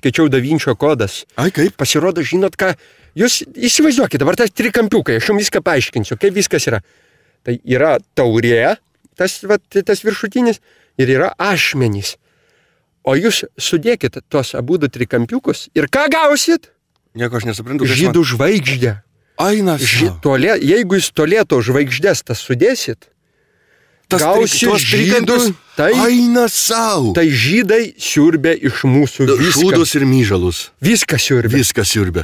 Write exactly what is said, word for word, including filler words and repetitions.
skaičiau Da Vinčio kodas. Ai, kaip? Pasirodo, žinot ką, jūs įsivaizduokit, dabar tas trikampiukai, aš jums viską paaiškinsiu, kaip viskas yra. Tai yra taurė, tas, vat, tas viršutinis, ir yra ašmenys. O jūs sudėkit tuos abudu trikampiukus ir ką gausit? Nieko aš nesuprantu. Žydų man... žvaigždę. Ainas. Ži... Tolė... Jeigu jūs tolėto žvaigždės tas sudėsit, tas gausi žydus, tai, Aina sau. Tai žydai siurbia iš mūsų viską. Šūdus ir myžalus. Viską siurbia. Viską siurbia.